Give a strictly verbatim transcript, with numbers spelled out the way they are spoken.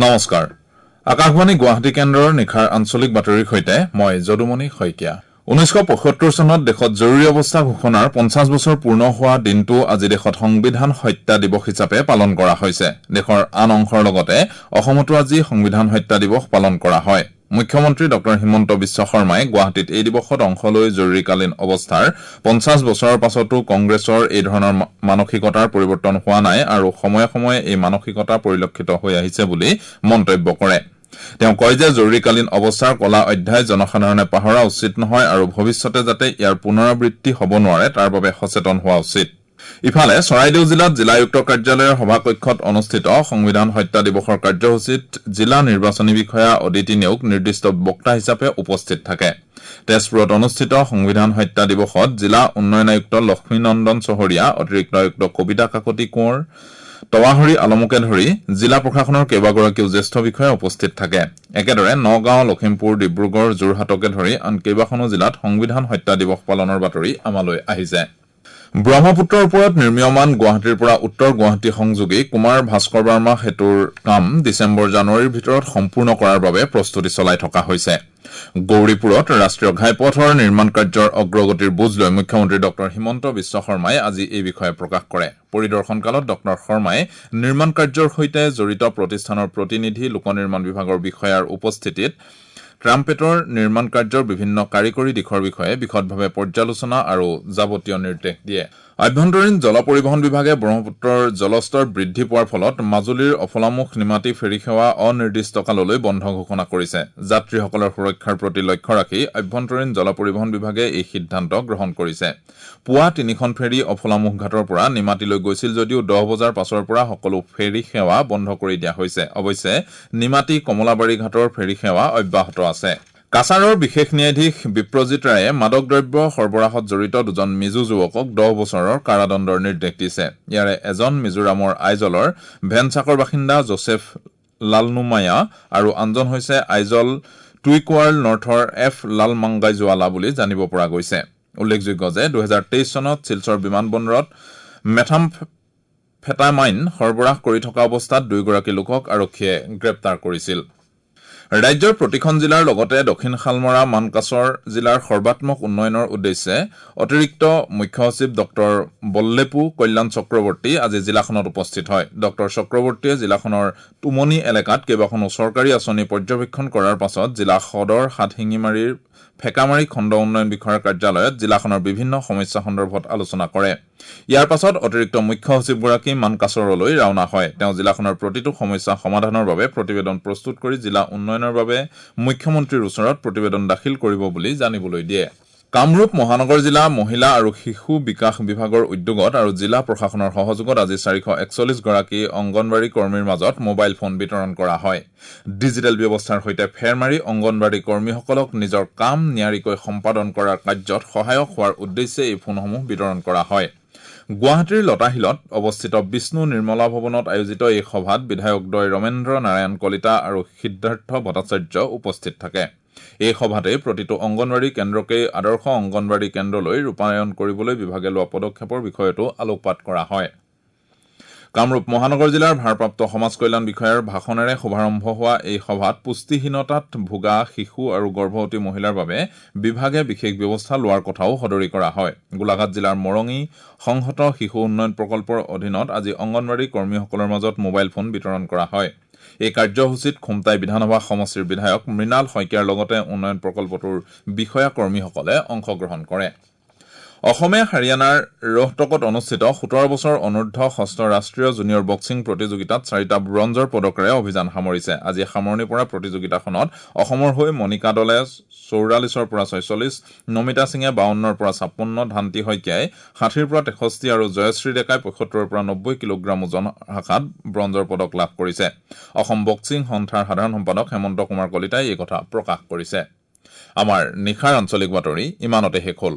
নমস্কাৰ, আকাশবাণী গুৱাহাটী কেন্দ্ৰৰ নিশাৰ আঞ্চলিক বাতৰিৰ সৈতে মই যদুমণি শইকীয়া। ঊনৈছশ পঁয়সত্তৰ চনত দেশত জৰুৰী অৱস্থা ঘোষণাৰ পঞ্চাছ বছৰ পূৰ্ণ হোৱা দিনটো আজি দেশত সংবিধান হত্যা দিৱস হিচাপে পালন কৰা হৈছে। দেশৰ আন অংশৰ লগতে অসমতো আজি সংবিধান হত্যা দিৱস পালন কৰা হয়। মুখ্যমন্ত্ৰী ডঃ হিমন্ত বিশ্ব শৰ্মাই গুৱাহাটীত এই দিৱসত অংশ লৈ জৰুৰীকালীন অৱস্থাৰ পঞ্চাছ বছৰৰ পাছতো কংগ্ৰেছৰ এই ধৰণৰ মানসিকতাৰ পৰিৱৰ্তন হোৱা নাই আৰু সময়ে সময়ে এই মানসিকতা পৰিলক্ষিত হৈ আহিছে বুলি মন্তব্য কৰে। তেওঁ কয় যে জৰুৰীকালীন অৱস্থাৰ কলা অধ্যায় জনসাধাৰণে পাহৰা উচিত নহয় আৰু ভৱিষ্যতে যাতে ইয়াৰ পুনৰাবৃত্তি হ'ব নোৱাৰে তাৰ বাবে সচেতন হোৱা উচিত। ইফালে চৰাইদেউ জিলাত জিলা আয়ুক্ত কাৰ্যালয়ৰ সভাকক্ষত অনুষ্ঠিত সংবিধান হত্যা দিৱসৰ কাৰ্যসূচীত জিলা নিৰ্বাচনী বিষয়া অদিতি নেওগ নিৰ্দিষ্ট বক্তা হিচাপে উপস্থিত থাকে। তেজপুৰত অনুষ্ঠিত সংবিধান হত্যা দিৱসত জিলা উন্নয়ন আয়ুক্ত লক্ষ্মীনন্দন চহৰীয়া, অতিৰিক্ত আয়ুক্ত কবিতা কাকতি কোঁৱৰ, তৱাহৰী আলমকে ধৰি জিলা প্ৰশাসনৰ কেইবাগৰাকীও জ্যেষ্ঠ বিষয়া উপস্থিত থাকে। একেদৰে নগাঁও, লখিমপুৰ, ডিব্ৰুগড়, যোৰহাটকে ধৰি আন কেইবাখনো জিলাত সংবিধান হত্যা দিৱস পালনৰ বাতৰি আমালৈ আহিছে। ব্ৰহ্মপুত্ৰৰ ওপৰত নিৰ্মীয়মান গুৱাহাটীৰ পৰা উত্তৰ গুৱাহাটী সংযোগী কুমাৰ ভাস্কৰ বাৰ্মা সেতুৰ কাম ডিচেম্বৰ জানুৱাৰীৰ ভিতৰত সম্পূৰ্ণ কৰাৰ বাবে প্ৰস্তুতি চলাই থকা হৈছে। গৌৰীপুৰত ৰাষ্ট্ৰীয় ঘাইপথৰ নিৰ্মাণ কাৰ্যৰ অগ্ৰগতিৰ বুজ লৈ মুখ্যমন্ত্ৰী ডঃ হিমন্ত বিশ্ব শৰ্মাই আজি এই বিষয়ে প্ৰকাশ কৰে। পৰিদৰ্শনকালত ডঃ শৰ্মাই নিৰ্মাণ কাৰ্যৰ সৈতে জড়িত প্ৰতিষ্ঠানৰ প্ৰতিনিধি, লোক নিৰ্মাণ বিভাগৰ বিষয়াৰ উপস্থিতিত ট্ৰাম্পেটৰ নিৰ্মাণ কাৰ্যৰ বিভিন্ন কাৰিকৰী দিশৰ বিষয়ে বিশদভাৱে পৰ্যালোচনা আৰু যাৱতীয় নিৰ্দেশ দিয়ে। আভ্যন্তৰীণ জল পৰিবহণ বিভাগে ব্ৰহ্মপুত্ৰৰ জলস্তৰ বৃদ্ধি পোৱাৰ ফলত মাজুলীৰ অফলামুখ নিমাতী ফেৰী সেৱা অনিৰ্দিষ্টকাললৈ বন্ধ ঘোষণা কৰিছে। যাত্ৰীসকলৰ সুৰক্ষাৰ প্ৰতি লক্ষ্য ৰাখি আভ্যন্তৰীণ জল পৰিবহণ বিভাগে এই সিদ্ধান্ত গ্ৰহণ কৰিছে। পুৱা তিনিখন ফেৰী অফলামুখ ঘাটৰ পৰা নিমাতীলৈ গৈছিল যদিও দহ বজাৰ পাছৰ পৰা সকলো ফেৰী সেৱা বন্ধ কৰি দিয়া হৈছে। অৱশ্যে নিমাতী কমলাবাৰী ঘাটৰ ফেৰী সেৱা অব্যাহত আছে। কাছাৰৰ বিশেষ ন্যায়াধীশ বিপ্ৰজিত ৰায়ে মাদক দ্ৰব্য সৰবৰাহত জড়িত দুজন মিজো যুৱকক দহ বছৰৰ কাৰাদণ্ডৰ নিৰ্দেশ দিছে। ইয়াৰে এজন মিজোৰামৰ আইজলৰ ভেনচাকৰ বাসিন্দা জোচেফ লালনুমায়া আৰু আনজন হৈছে আইজল টুইকোৱাৰ্ল নৰ্থৰ এফ লালমাংগাইজোৱালা বুলি জানিব পৰা গৈছে। উল্লেখযোগ্য যে দুহেজাৰ তেইছ চনত শিলচৰ বিমানবন্দৰত মেথামফেটামাইন সৰবৰাহ কৰি থকা অৱস্থাত দুয়োগৰাকী লোকক আৰক্ষীয়ে গ্ৰেপ্তাৰ কৰিছিল। ৰাজ্যৰ প্ৰতিখন জিলাৰ লগতে দক্ষিণ শালমৰা মানকাচৰ জিলাৰ সৰ্বাত্মক উন্নয়নৰ উদ্দেশ্যে অতিৰিক্ত মুখ্য সচিব ডঃ বল্লেপু কল্যাণ চক্ৰৱৰ্তী আজি জিলাখনত উপস্থিত হয়। ডঃ চক্ৰৱৰ্তীয়ে জিলাখনৰ টুমনি এলেকাত কেইবাখনো চৰকাৰী আঁচনি পৰ্যবেক্ষণ কৰাৰ পাছত জিলা সদৰ হাতশিঙিমাৰীৰ ফেকামাৰী খণ্ড উন্নয়ন বিষয়াৰ কাৰ্যালয়ত জিলাখনৰ বিভিন্ন সমস্যা সন্দৰ্ভত আলোচনা কৰে। ইয়াৰ পাছত অতিৰিক্ত মুখ্য সচিবগৰাকী মানকাচৰলৈ ৰাওনা হয়। তেওঁ জিলাখনৰ প্ৰতিটো সমস্যা সমাধানৰ বাবে প্ৰতিবেদন প্ৰস্তুত কৰি জিলা উন্নয়নৰ বাবে মুখ্যমন্ত্ৰীৰ ওচৰত প্ৰতিবেদন দাখিল কৰিব বুলি জানিবলৈ দিয়ে। কামৰূপ মহানগৰ জিলা মহিলা আৰু শিশু বিকাশ বিভাগৰ উদ্যোগত আৰু জিলা প্ৰশাসনৰ সহযোগত আজি চাৰিশ একচল্লিছ গৰাকী অংগনবাড়ী কৰ্মীৰ মাজত মোবাইল ফোন বিতৰণ কৰা হয়। ডিজিটেল ব্যৱস্থাৰ সৈতে ফেৰ মাৰি অংগনবাড়ী কৰ্মীসকলক নিজৰ কাম নিয়াৰিকৈ সম্পাদন কৰাৰ কাৰ্যত সহায়ক হোৱাৰ উদ্দেশ্যে এই ফোনসমূহ বিতৰণ কৰা হয়। গুৱাহাটীৰ লতাশিলত অৱস্থিত বিষ্ণু নিৰ্মলা ভৱনত আয়োজিত এই সভাত বিধায়কদ্বয় ৰমেন্দ্ৰ নাৰায়ণ কলিতা আৰু সিদ্ধাৰ্থ ভট্টাচাৰ্য উপস্থিত থাকে। এই সভাতে প্ৰতিটো অংগনবাড়ী কেন্দ্ৰকেই আদৰ্শ অংগনবাড়ী কেন্দ্ৰলৈ ৰূপায়ণ কৰিবলৈ বিভাগে লোৱা পদক্ষেপৰ বিষয়তো আলোকপাত কৰা হয়। কামৰূপ মহানগৰ জিলাৰ ভাৰপ্ৰাপ্ত সমাজ কল্যাণ বিষয়াৰ ভাষণেৰে শুভাৰম্ভ হোৱা এই সভাত পুষ্টিহীনতাত ভোগা শিশু আৰু গৰ্ভৱতী মহিলাৰ বাবে বিভাগে বিশেষ ব্যৱস্থা লোৱাৰ কথাও সদৰি কৰা হয়। গোলাঘাট জিলাৰ মৰঙী সংহত শিশু উন্নয়ন প্ৰকল্পৰ অধীনত আজি অংগনবাড়ী কৰ্মীসকলৰ মাজত মোবাইল ফোন বিতৰণ কৰা হয়। এই কাৰ্যসূচীত খুমটাই বিধানসভা সমষ্টিৰ বিধায়ক মৃণাল শইকীয়াৰ লগতে উন্নয়ন প্ৰকল্পটোৰ বিষয়া কৰ্মীসকলে অংশগ্ৰহণ কৰে। অসমে হাৰিয়ানাৰ ৰোহটকত অনুষ্ঠিত সোতৰ বছৰ অনুৰ্ধ ষষ্ঠ ৰাষ্ট্ৰীয় জুনিয়ৰ বক্সিং প্ৰতিযোগিতাত চাৰিটা ব্ৰঞ্জৰ পদকেৰে অভিযান সামৰিছে। আজি সামৰণি পৰা প্ৰতিযোগিতাখনত অসমৰ হৈ মণিকা দলে চৌৰাল্লিছৰ পৰা ছয়চল্লিছ, নমিতা সিঙে বাৱন্নৰ পৰা ছাপন্ন, ধান্তি শইকীয়াই ষাঠিৰ পৰা তেষষ্ঠি আৰু জয়শ্ৰী ডেকাই পঁয়সত্তৰৰ পৰা নব্বৈ কিলোগ্ৰাম ওজন শাখাত ব্ৰঞ্জৰ পদক লাভ কৰিছে। অসম বক্সিং সন্থাৰ সাধাৰণ সম্পাদক হেমন্ত কুমাৰ কলিতাই এই কথা প্ৰকাশ কৰিছে। আমাৰ নিশাৰ আঞ্চলিক বাতৰি ইমানতে শেষ হ'ল।